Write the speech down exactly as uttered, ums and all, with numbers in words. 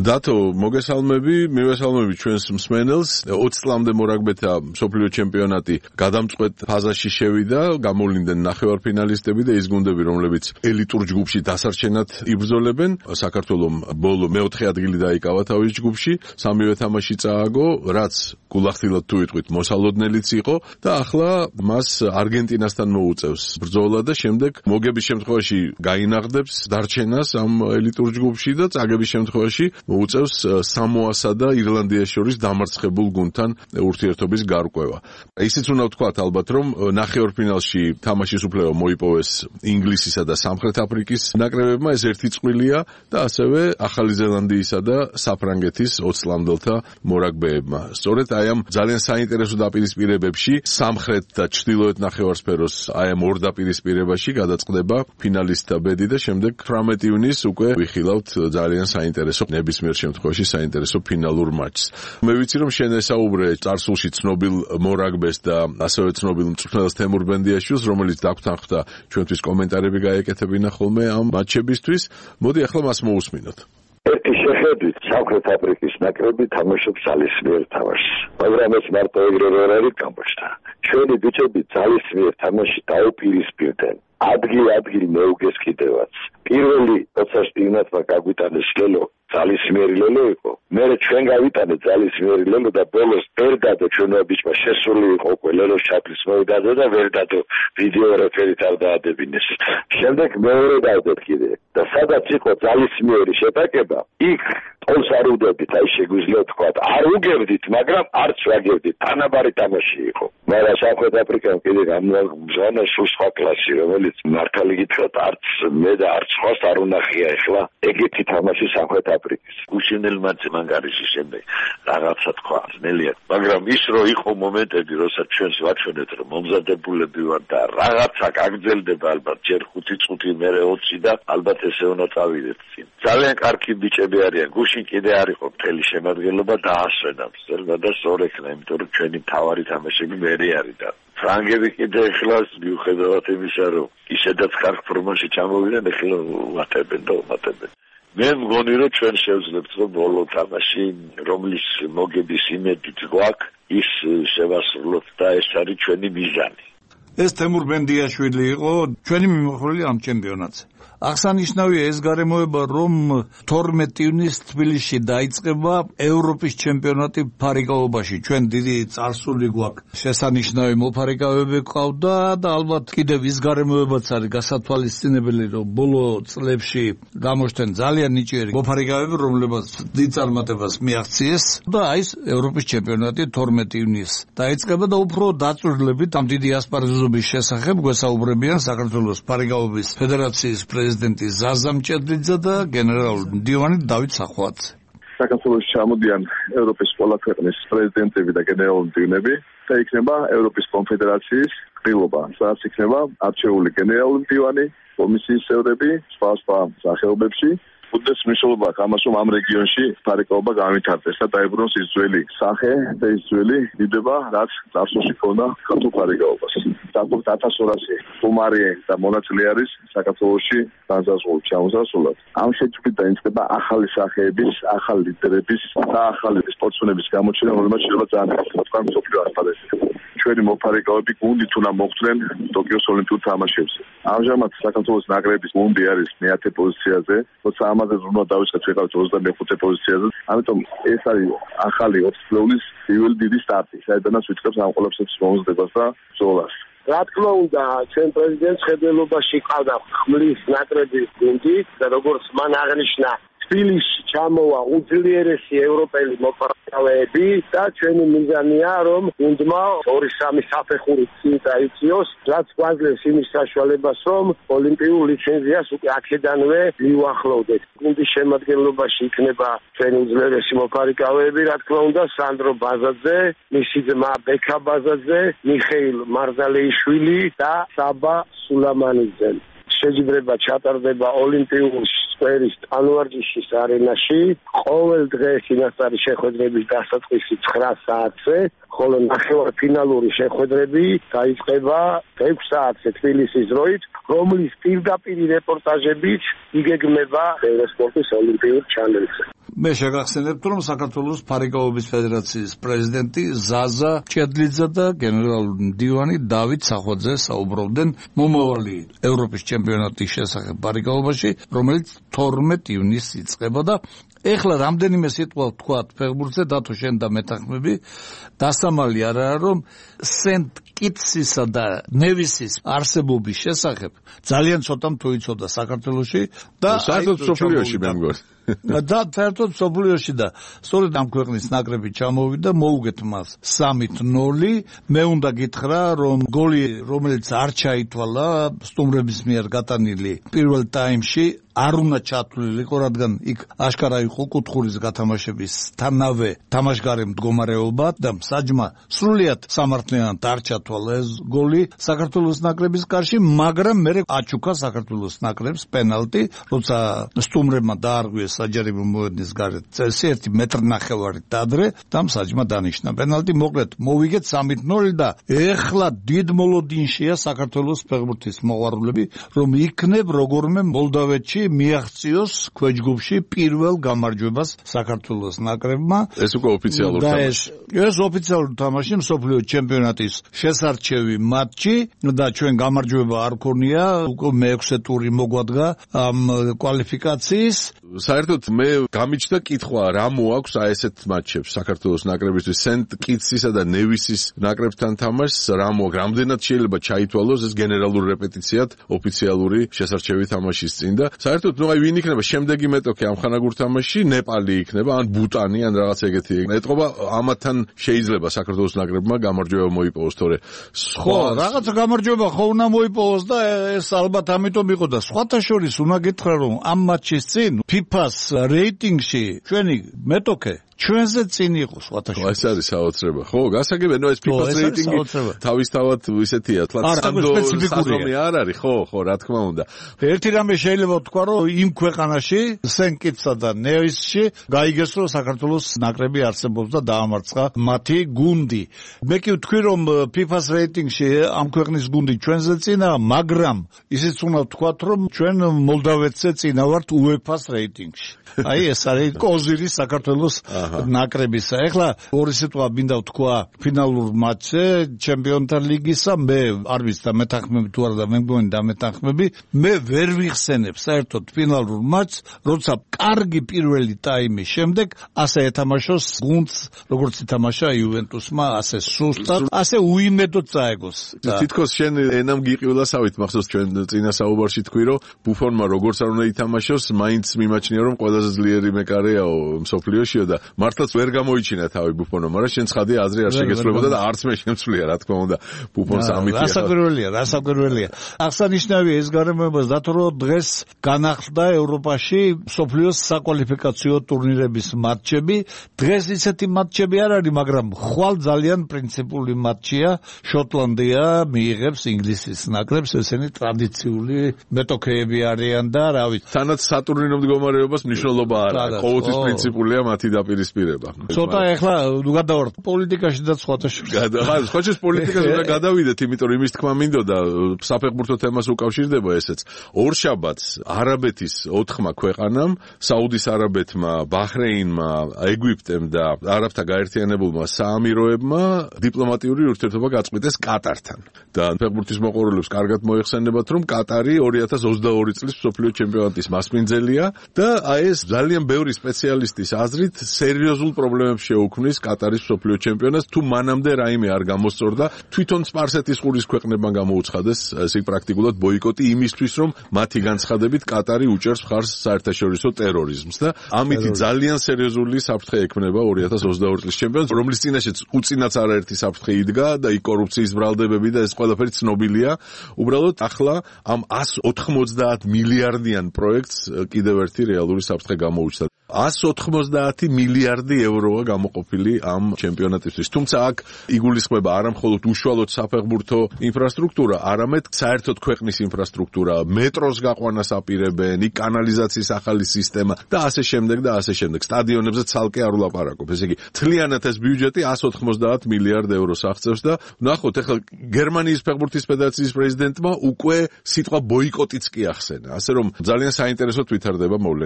დათო, მოგესალმები, მივესალმები ჩვენს მსმენელს. ოცი წლამდე მორაგბეთა მსოფლიო ჩემპიონატი გადამწყვეტ ფაზაში შევიდა, გამოვლინდნენ ნახევარფინალისტები და ის გუნდები, რომლებიც ელიტურ ჯგუფში დასარჩენად იბრძოლებენ. საქართველომ ბოლო მეოთხე ადგილი დაიკავა თავის ჯგუფში, სამივე თამაში წააგო, რაც გულახდილად თუ ვიტყვით, მოსალოდნელიც იყო და ახლა მას არგენტინასთან მოუწევს ბრძოლა და შემდეგ მოგების შემთხვევაში გაინაღდებს დარჩენას ამ ელიტურ ჯგუფში და წაგების შემთხვევაში მოუწევს სამოასა და ირლანდიას შორის დამარცხებულ გუნდთან ურთიერთობის გარკვევა. ისიც უნდა ვთქვათ ალბათ, რომ ნახევარფინალში თამაშის უფლება მოიპოვეს ინგლისისა და სამხრეთ აფრიკის ნაკრებებმა, ეს ერთი წვლილია და ასევე ახალი ზელანდიისა და საფრანგეთის ოცი წლამდელთა მორაგბეებმა. სწორედ აი ამ ძალიან საინტერესო დაპირისპირებებში სამხრეთ და ჩრდილოეთ ნახევარსფეროს აი ამ ორ დაპირისპირებაში გადაწყდება ფინალისტთა ბედი და შემდეგ თვრამეტი ივნის უკვე ვიხილავთ ძალიან საინტერესო ნებისმიერ შემთხვევაში საინტერესო ფინალურ მატჩს. მე ვიცი რომ შენ ესაუბრე წარსულში ცნობილ მორაგბეს და ასევე ცნობილ მწვრთნელს თემურ ბენდიაშვილს, რომელიც დაგვრთანხმდა ჩვენთვის კომენტარები გაეკეთებინა ხოლმე ამ მატჩებისთვის. მოდი ახლა მას მოусმინოთ. ერთი შეხედვით სამხრეთ აფრიკის ნაკრები თამაშობს ძალისმიერ თამაშს, მაგრამ ეს მარტო ეგრე ვერ არის გამოჩნდა. ჩვენი ბიჭები ძალისმიერ თამაში დაუპირისპირდნენ. ადგილ-ადგილ მეუგეს კიდევაც. პირველი როდესაც დივნათმა გაგვიტანეს ლელო, ძალისმიერი ლელო იყო. მერე ჩვენ გავიტანეთ ძალისმიერი ლელო და ბოლოს ვერდადო ჩვენმა ბიჭმა შესული იყო უკვე ლელოს ჩაფლის მოედანზე და ვერდადო ვიდეო რეფერით არ დაადებინეს. შემდეგ მეორე დავდეთ კიდე და სადაც იყო ძალისმიერი შეტაკება, იქ ტოლს არ უდებით, აი შეგვიძლია თქვა, არ უგებდით, მაგრამ არც ვაგებდით, თანაბარი თამაში იყო. მაგრამ სამხრეთ აფრიკამ კიდე გამოგზავნა სულ სხვა კლასი, რომელიც მართალი გითხრათ, არც მე და არც სხვას არ უნახია ახლა ეგეთი თამაში სამხრეთ აფრიკის. გუშინელ მატჩზე მანგარიში შემდეგ რაღაცა თქვა, ძნელია, მაგრამ ის რო იყო მომენტები, როცა ჩვენს ვაჩვენეთ, რომ მომზადებულები ვარ და რაღაცა გაგრძელდება ალბათ ჯერ ხუთი წუთი, მერე ოცი და ალბათ ესე უნდა წავიდეთ წინ. ძალიან კარგი ბიჭები არიან. გუშინ კიდე არ იყო მთელი შემადგენლობა დაასვენა მცდელმა და სწორ ექნა, იმიტომ რომ ჩვენი მთავარი თამაშები მერე არის და ფრანგები კიდე ეხლა მიუხედავად იმისა, რომ ისედაც კარგ ფორმაში ჩამოვიდნენ, ეხლა ვატებენ და ვატებენ. მე მგონი რომ ჩვენ შევძლებთ რომ ბოლო თამაში, რომლის მოგების იმედით გვაქვს, ის შევასრულოთ და ეს არის ჩვენი მიზანი. ეს თემურ ბენდიაშვილი იყო ჩვენი მიმოხილველი ამ ჩემპიონატზე. აღსანიშნავია ეს გარემოება, რომ თორმეტი ივნის თბილისში დაიწყება ევროპის ჩემპიონატი ფარიკაობაში. ჩვენ დიდი წარსული გვაქვს, შესანიშნავი მოფარიკავები ყავდა და ალბათ კიდევ ის გარემოებაც არის გასათვალისწინებელი, რომ ბოლო წლებში გამოჩნდნენ ძალიან ნიჭიერი მოფარიკავები, რომლებსაც დიდ წარმატებას მიაღწიეს და აი ეს ევროპის ჩემპიონატი თორმეტი ივნის დაიწყება და უფრო დაწვრილებით ამ დიდი ასპარეზობის შესახებ გვესაუბრებიან საქართველოს ფარიკაობის ფედერაციის პრეზიდენტი ზაზა მჭედლიძე და გენერალური მდივანი დავით სახვაძე. საქართველოში ჩამოდიან ევროპის ყველა ქვეყნის პრეზიდენტები და გენერალური მდივნები და იქნება ევროპის კონფედერაციის ყრილობა, სადაც იქნება არჩეული გენერალური მდივანი, კომისიის წევრები, სხვა სხვა სახეობებში. უდიდეს მნიშვნელობა აქვს ამას, რომ ამ რეგიონში ფარიკაობა განვითარდეს და დაებრუნოს ის ძველი სახე და ის ძველი დიდება, რაც წარსულში ჰქონდა ქართულ ფარიკაობას. დაახლოებით ათას ორასი სტუმარი და მონაწილე არის საქართველოში განსაზღვრულ ჩამოსასვლელად. ამ შეჯიბრით დაიწყება ახალი სახეების, ახალი ლიდერების და ახალი სპორტსმენების გამოჩენა, რომელმაც შეიძლება ძალიან თქვა მსოფლიო ასპარეზზე. ჩვენი მოფარიკავები გუნდით უნდა მოხვდნენ ტოკიოს ოლიმპიურ თამაშებზე. ამჟამად საქართველოს ნაკრების გუნდი არის მეათე პოზიციაზე, როცა ამაზე უნდა დავიწყოთ ვიყავით ოცდამეხუთე პოზიციაზე. ამიტომ ეს არის ახალი ოცი წლების პირველი დიდი სტარტი, საიდანაც ვიწყებს ამ ყველაფერს მომზადებას და ბრძოლას. რა თქმა უნდა, ჩვენ პრეზიდენტს ხედველობაში ყავდა ხმლის ნაკრების გუნდი და როგორც მან აღნიშნა, თბილისში ჩამოვა უძლიერესი ევროპელი მოფარიკავეები და ჩვენი მიზანია, რომ გუნდმა ორი სამი საფეხური წინ დაიწიოს, რაც გვაძლევს იმის საშუალებას, რომ ოლიმპიურ ლიცენზიას უკვე აქედანვე მივახლოვდეთ. გუნდის შემადგენლობაში იქნება ჩვენი უძლიერესი მოფარიკავეები, რა თქმა უნდა, სანდრო ბაზაძე, მისი ძმა ბექა ბაზაძე, მიხეილ მარზალეიშვილი და საბა სულამანიძე. შეჯიბრება ჩატარდება ოლიმპიურ სკვერის ტანვარჯიშის არენაში ყოველ დღე წინასწარი შეხვედრების დასაწყისი ცხრა საათზე, ხოლო ნახევარფინალური შეხვედრები დაიწყება ექვსი საათზე თბილისის დროით, რომლის პირდაპირ რეპორტაჟებით იგეგმება ევროსპორტის ოლიმპიურ ჩანელზე. მე შეგახსენებთ, რომ საქართველოს ფარიკაობის ფედერაციის პრეზიდენტი ზაზა ჭედლიძე და გენერალური მდივანი დავით სახვაძე საუბრობდნენ მომავალი ევროპის ჩემპიონატის შესახებ ფარიკაობაში, რომელიც თორმეტ ივნისს იწყება და ეხლა რამდენიმე სიტყვა ვთქვათ ფეხბურთზე, დათო შენ და მეთანხმები, დასამალი არაა, რომ სენტ კიტსისა და ნევისის არსებობის შესახებ ძალიან ცოტამ თუ იცოდა საქართველოში და საერთოდ სოფლიოში მე მგონი. და საერთოდ სოფლიოში და სწორედ ამ ქვეყნის ნაკრები ჩამოვიდა, მოუგეთ მას სამით ნოლი. მე უნდა გითხრა, რომ გოლი, რომელიც არ ჩაითვალა სტუმრების მიერ გატანილი პირველ ტაიმში, არ უნდა ჩათვლილიყო, რადგან იქ აშკარა იყო კუთხურის გათამაშების თანავე თამაშგარე მდგომარეობა და საჯმა სრულიად სამართლიანად არ ჩათვალა ეს გოლი საქართველოს ნაკრების კარში, მაგრამ მე აჩუქა საქართველოს ნაკრებს პენალტი, როცა სტუმრებმა დაარღვიეს საჯარიმო მოედნის გარეთ წესი ერთი მეტრი ნახევარით ადრე და საჯმა დანიშნა პენალტი. მოკლედ მოვიგეთ სამით ნოლი და ეხლა დიდ მოლოდინშია საქართველოს ფეხბურთის მოყვარულები, რომ იქნებ როგორმე მოლდავეთში მიაღწიოს ქვეჯგუფში პირველ გამარჯვებას საქართველოს ნაკრებმა. ეს უკვე ოფიციალური თამაში. ეს ოფიციალური თამაში, მსოფლიო ჩემპიონატის შესარჩევი მატჩი და ჩვენ გამარჯვება არ ქონია, უკვე მეექვსე ტური მოგვადგა ამ კვალიფიკაციის. საერთოდ მე გამიჩნდა კითხვა, რა მოაქვს აი ესეთ მატჩებს საქართველოს ნაკრებისთვის, სენტ კიტსისა და ნევისის ნაკრებთან თამაშს, რა მოაქვს, რამდენად შეიძლება ჩაითვალოს ეს გენერალური რეპეტიციად ოფიციალური შესარჩევი თამაშის წინ და საერთოდ ნუ აი ვინ იქნება შემდეგი მეტოქე ამ ხანაგურ თამაშში, ნეპალი იქნება, ან ბუტანი, ან რაღაც ეგეთი. ეტყობა ამათთან შეიძლება საქართველოს ნაკრებმა გამარჯვება მოიპოვოს, თორე ხო, რაღაც გამარჯვება ხო უნდა მოიპოვოს და ეს ალბათ ამიტომ იყო და სხვათა შორის უნდა გითხრა, რომ ამ მატჩის წინ ფიფას რეიტინგში ჩვენი მეტოქე ჩვენზე წინ იყო სხვათა შორის. ეს არის საოცრება. ხო, გასაგებია, ნუ ეს ფიფას რეიტინგი თავისთავად ისეთია, თლაც სპეციფიკური არ არის, ხო, ხო, რა თქმა უნდა. ერთი რამე შეიძლება ვთქვა, რომ იმ ქვეყანაში, სენ-კიტსსა და ნევისში გაიგეს, რომ საქართველოს ნაკრები არსებობს და დაამარცხა მათი გუნდი. მე კი ვთქვი, რომ ფიფას რეიტინგში ამ ქვეყნის გუნდი ჩვენზე წინა, მაგრამ ისიც უნდა ვთქვათ, რომ ჩვენ მოლდავეთზე წინა ვართ უეფას რეიტინგში. აი ეს არის კოზირი საქართველოს ნაკრებისა. ეხლა ორი სიტყვა მინდა ვთქვა ფინალურ მატჩზე ჩემპიონთა ლიგისა, მე არ ვიცი და მეთანხმები თუ არა და მე მგონი და მეთანხმები, მე ვერ ვიხსენებ საერთოდ ფინალურ მატჩს, როცა კარგი პირველი ტაიმის შემდეგ ასე ეთამაშოს გუნდს, როგორც ითამაშა იუვენტუსმა, ასე სუსტად, ასე უიმედოდ წაეგოს. თითქოს შენ ენამ გიყივლასავით, მახსოვს ჩვენ წინა საუბარში თქვი, რომ ბუფონმა როგორც არ უნდა ითამაშოს, მაინც მიმაჩნია, რომ ყველაზე ძლიერი მეკარეაო მსოფლიოშიო და მართლაც ვერ გამოიჩინა თავი ბუფონმა, მაგრამ შენ ცხადია აზრი არ შეგეცვლებოდა და არც მე შემცვლია, რა თქმა უნდა, ბუფონს ამითია. რასაკვირველია, რასაკვირველია. აღსანიშნავია ეს გარემოება, დათო რომ დღეს განახლდა ევროპაში მსოფლიოს საკვალიფიკაციო ტურნირების მატჩები. დღეს ისეთი მატჩები არ არის, მაგრამ ხვალ ძალიან პრინციპული მატჩია. შოტლანდია მიიღებს ინგლისის ნაკრებს, ესენი ტრადიციული მეტოქეები არიან და რა ვიცი. თანაც სატურნირო მდგომარეობას მნიშვნელობა არ აქვს. ყოველთვის პრინციპულია მათი დაპირისპირება. ცოტა ეხლა გადავართ პოლიტიკაში და სხვათა შორის. ხა, სხვა შორის პოლიტიკას უნდა გადავიდეთ, იმიტომ რომ იმის თქმა მინდოდა საფეხბურთო თემას უკავშირდება ესეც. ორშაბათს არაბეთის ოთხმა ქვეყანამ, საუდის არაბეთმა, ბაჰრეინმა, ეგვიპტემ და არაბთა გაერთიანებულმა საამიროებმა დიპლომატიური ურთიერთობა გაწყვიტეს კატართან. და ფეხბურთის მოყვარულებს კარგად მოიხსენებათ, რომ კატარი ორი ათას ოცდაორი წლის მსოფლიო ჩემპიონატის მასპინძელია და აი ეს ძალიან ბევრი სპეციალისტის აზრით სერიოზულ პრობლემებს შეუქმნის კატარის მსოფლიო ჩემპიონატს, თუ მანამდე რაიმე არ გამოსწორდა, თვითონ სპარსეთის ყურის ქვეყნებმა გამოუცხადეს ესე პრაქტიკულად ბოიკოტი იმისთვის, რომ მათი განცხადებით კატარი უჭერს მხარს საერთაშორისო ტერორიზმს და ამით ძალიან სერიოზული საფრთხე ექმნება ორი ათას ოცდაორი წლის ჩემპიონატს, რომლის წინაშეც უწინაც არაერთი საფრთხე იდგა და იქ კორუფციის ბრალდებები და ეს ყველაფერი ცნობილია. უბრალოდ ახლა ამ εκατს ოთხმოცდაათ მილიარდიან პროექტს კიდევ ერთი რეალური საფრთხე გამოუჩნდა. εκατს ოთხმოცდაათი მილიარდი ევროა გამოყოფილი ამ ჩემპიონატისთვის. თუმცა აქ იგულისხმება არა მხოლოდ უშუალოდ საფეხბურთო ინფრასტრუქტურა, არამედ საერთოდ ქვეყნის ინფრასტრუქტურა, მეტროს გაყვანას აპირებენ, იქ კანალიზაციის ახალი სისტემა და ასე შემდეგ და ასე შემდეგ. სტადიონებზე ცალკე არ ვლაპარაკობ. ესე იგი, მთლიანად ეს ბიუჯეტი εκατს ოთხმოცდაათ მილიარდ ევროს აღწევს და ნახოთ, ეხლა გერმანიის ფეხბურთის ფედერაციის პრეზიდენტმა უკვე სიტყვა ბოიკოტიც კი ახსენა. ასე რომ ძალიან საინტერესოდ ვითარდება მოვლენა.